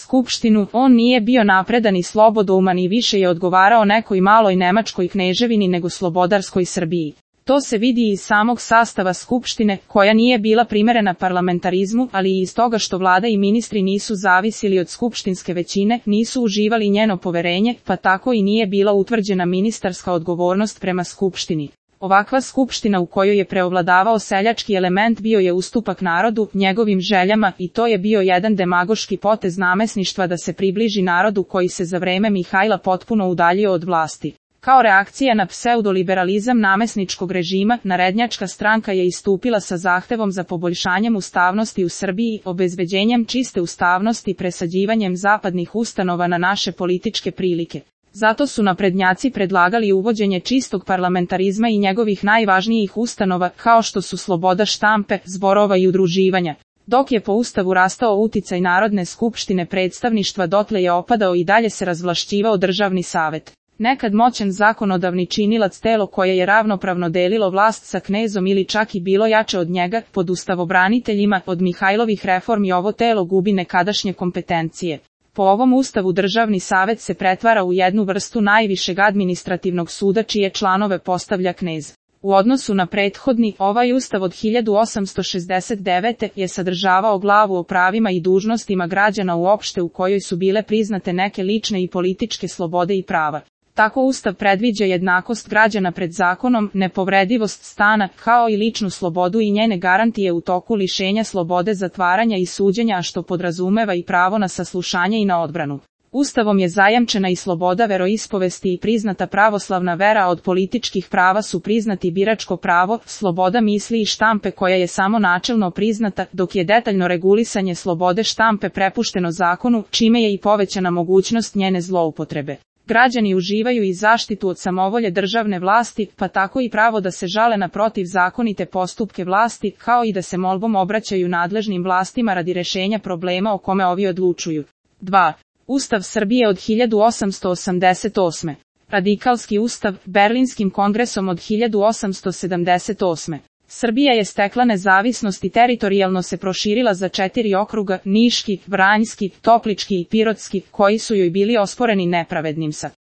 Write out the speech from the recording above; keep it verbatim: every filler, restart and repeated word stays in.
skupštinu, on nije bio napredan i slobodouman i više je odgovarao nekoj maloj nemačkoj kneževini nego slobodarskoj Srbiji. To se vidi iz samog sastava skupštine, koja nije bila primerena parlamentarizmu, ali i iz toga što vlada i ministri nisu zavisili od skupštinske većine, nisu uživali njeno poverenje, pa tako i nije bila utvrđena ministarska odgovornost prema skupštini. Ovakva skupština u kojoj je preovladavao seljački element bio je ustupak narodu, njegovim željama, i to je bio jedan demagoški potez namesništva da se približi narodu koji se za vreme Mihajla potpuno udaljio od vlasti. Kao reakcija na pseudoliberalizam namesničkog režima, Narednjačka stranka je istupila sa zahtevom za poboljšanjem ustavnosti u Srbiji, obezbeđenjem čiste ustavnosti i presađivanjem zapadnih ustanova na naše političke prilike. Zato su naprednjaci predlagali uvođenje čistog parlamentarizma i njegovih najvažnijih ustanova, kao što su sloboda štampe, zborova i udruživanja. Dok je po ustavu rastao uticaj Narodne skupštine predstavništva, dotle je opadao i dalje se razvlašćivao državni savet. Nekad moćan zakonodavni činilac, telo koje je ravnopravno delilo vlast sa knezom ili čak i bilo jače od njega, pod ustavobraniteljima, od Mihajlovih reformi ovo telo gubi nekadašnje kompetencije. Po ovom ustavu državni savet se pretvara u jednu vrstu najvišeg administrativnog suda čije članove postavlja knez. U odnosu na prethodni, ovaj ustav od hiljadu osamsto šezdeset devete. je sadržavao glavu o pravima i dužnostima građana uopšte u kojoj su bile priznate neke lične i političke slobode i prava. Tako ustav predviđa jednakost građana pred zakonom, nepovredivost stana, kao i ličnu slobodu i njene garantije u toku lišenja slobode zatvaranja i suđenja, a što podrazumeva i pravo na saslušanje i na odbranu. Ustavom je zajamčena i sloboda veroispovesti i priznata pravoslavna vera, a od političkih prava su priznati biračko pravo, sloboda misli i štampe koja je samo načelno priznata, dok je detaljno regulisanje slobode štampe prepušteno zakonu, čime je i povećana mogućnost njene zloupotrebe. Građani uživaju i zaštitu od samovolje državne vlasti, pa tako i pravo da se žale na protivzakonite postupke vlasti, kao i da se molbom obraćaju nadležnim vlastima radi rešenja problema o kome ovi odlučuju. dva. Ustav Srbije od hiljadu osamsto osamdeset osme. Radikalski ustav, Berlinskim kongresom od hiljadu osamsto sedamdeset osme. Srbija je stekla nezavisnost i teritorijalno se proširila za četiri okruga, Niški, Vranjski, Toplički i Pirotski, koji su joj bili osporeni nepravednim sa